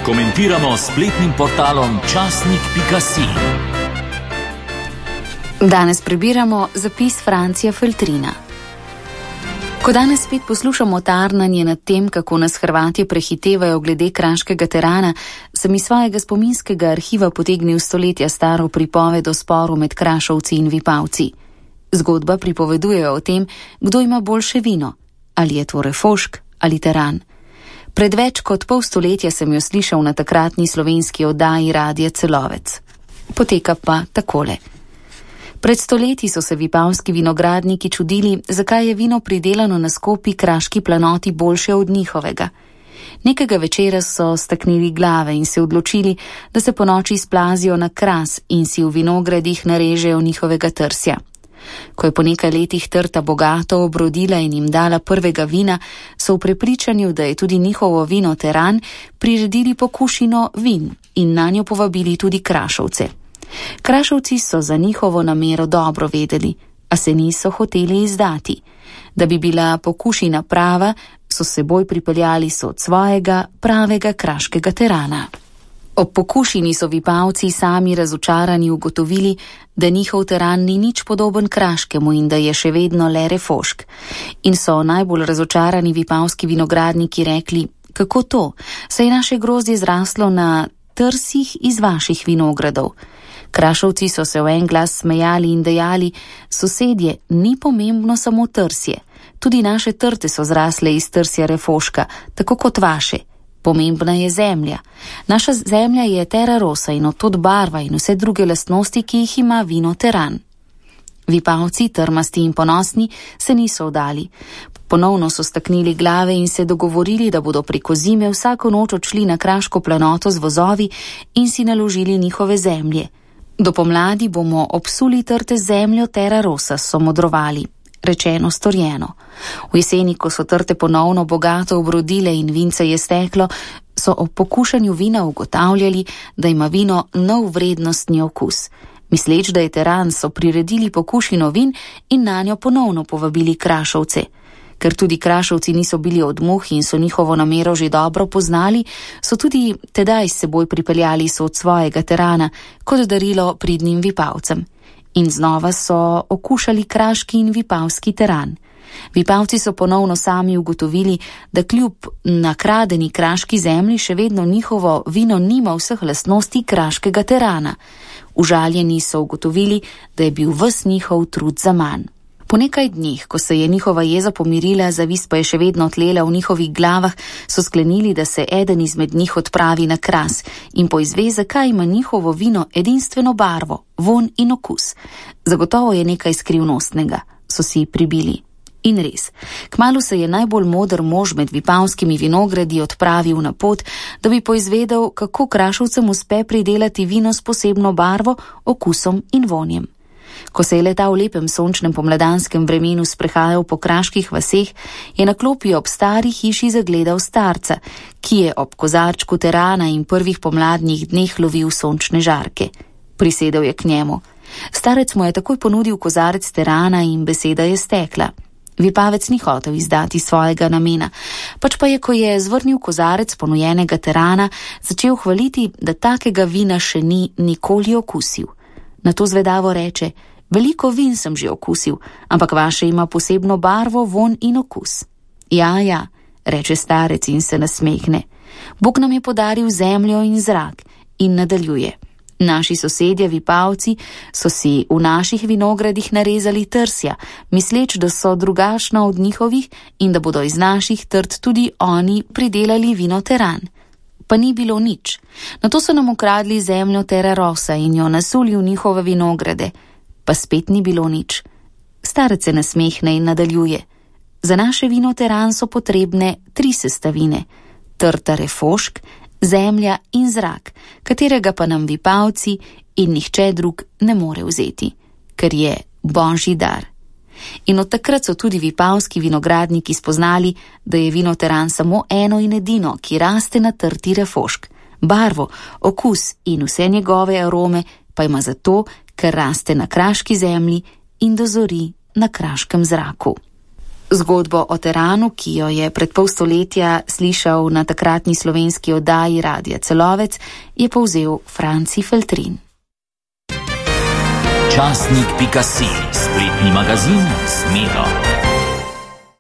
Komentiramo s spletnim portalom časnik.si. Danes prebiramo zapis Francija Feltrina. Ko danes spet poslušamo tarnanje nad tem, kako nas Hrvatje prehitevajo glede kraškega terana, sem iz svojega spominskega arhiva potegnil stoletja staro pripoved o sporu med Krašovci in Vipavci. Zgodba pripoveduje o tem, kdo ima boljše vino, ali je to Refošk ali teran. Pred več kot pol stoletja sem jo slišal na takratni slovenski oddaji Radia Celovec. Poteka pa takole. Pred stoletji so se vipavski vinogradniki čudili, zakaj je vino pridelano na skopi kraški planoti boljše od njihovega. Nekega večera so staknili glave in se odločili, da se ponoči splazijo na Kras in si v vinogradih narežejo njihovega trsja. Ko je po nekaj letih trta bogato obrodila in jim dala prvega vina, so v prepričanju, da je tudi njihovo vino teran, priredili pokušino vin in nanjo povabili tudi Krašovce. Krašovci so za njihovo namero dobro vedeli, a se niso hoteli izdati. Da bi bila pokušina prava, so s seboj pripeljali od svojega pravega kraškega terana. Ob pokušini so Vipavci sami razočarani ugotovili, da njihov teran ni nič podoben kraškemu in da je še vedno le Refošk. In so najbolj razočarani vipavski vinogradniki rekli, kako to, saj je naše grozdje zraslo na trsih iz vaših vinogradov. Krašovci so se v en glas smejali in dejali, sosedje, ni pomembno samo trsje, tudi naše trte so zrasle iz trsja Refoška, tako kot vaše. Pomembna je zemlja. Naša zemlja je terra rosa in od tod barva in vse druge lastnosti, ki jih ima vino teran. Vipavci, trmasti in ponosni, se niso vdali. Ponovno so staknili glave in se dogovorili, da bodo preko zime vsako noč odšli na kraško planoto z vozovi in si naložili njihove zemlje. Do pomladi bomo obsuli trte zemljo terra rosa, so modrovali. Rečeno, storjeno. V jeseni, ko so trte ponovno bogato obrodile in vince je steklo, so ob pokušanju vina ugotavljali, da ima vino nov vrednostni okus. Misleč, da je teran, so priredili pokušino vin in nanjo ponovno povabili Krašovce. Ker tudi Krašovci niso bili od muh in so njihovo namero že dobro poznali, so tudi tedaj s seboj pripeljali od svojega terana kot darilo pridnim Vipavcem. In znova so okušali kraški in vipavski teran. Vipavci so ponovno sami ugotovili, da kljub nakradeni kraški zemlji še vedno njihovo vino nima vseh lastnosti kraškega terana. Užaljeni so ugotovili, da je bil ves njihov trud zaman. Po nekaj dneh, ko se je njihova jeza pomirila, zavist pa je še vedno tlela v njihovih glavah, so sklenili, da se eden izmed njih odpravi na Kras in poizve, zakaj ima njihovo vino edinstveno barvo, vonj in okus. Zagotovo je nekaj skrivnostnega, so si pribili. In res, kmalu se je najbolj moder mož med vipavskimi vinogradi odpravil na pot, da bi poizvedel, kako Krašovcem uspe pridelati vino s posebno barvo, okusom in vonjem. Ko se je leta v lepem sončnem pomladanskem vremenu sprehajal po kraških vaseh, je na klopi ob stari hiši zagledal starca, ki je ob kozarčku terana in prvih pomladnih dneh lovil sončne žarke. Prisedel je k njemu. Starec mu je takoj ponudil kozarec terana in beseda je stekla. Vipavec ni hotel izdati svojega namena, pač pa je, ko je zvrnil kozarec ponujenega terana, začel hvaliti, da takega vina še ni nikoli okusil. Nato zvedavo reče, veliko vin sem že okusil, ampak vaše ima posebno barvo, vonj in okus. Ja, reče starec in se nasmehne. Bog nam je podaril zemljo in zrak in nadaljuje. Naši sosedje Vipavci so si v naših vinogradih narezali trsja, misleč, da so drugačna od njihovih in da bodo iz naših trt tudi oni pridelali vino teran. Pa ni bilo nič. Nato so nam ukradli zemljo terra rosa in jo nasuli v njihove vinograde. Pa spet ni bilo nič. Starec se nasmehne in nadaljuje. Za naše vino teran so potrebne 3 sestavine. Trta Refošk, zemlja in zrak, katerega pa nam Vipavci in nihče drug ne more vzeti, ker je božji dar. In od takrat so tudi vipavski vinogradniki spoznali, da je vino teran samo eno in edino, ki raste na trti Refošk. Barvo, okus in vse njegove arome pa ima zato, ker raste na kraški zemlji in dozori na kraškem zraku. Zgodbo o teranu, ki jo je pred pol stoletja slišal na takratni slovenski oddaji Radia Celovec, je povzel Franci Feltrin. Časnik.si, spletni magazin s Medo.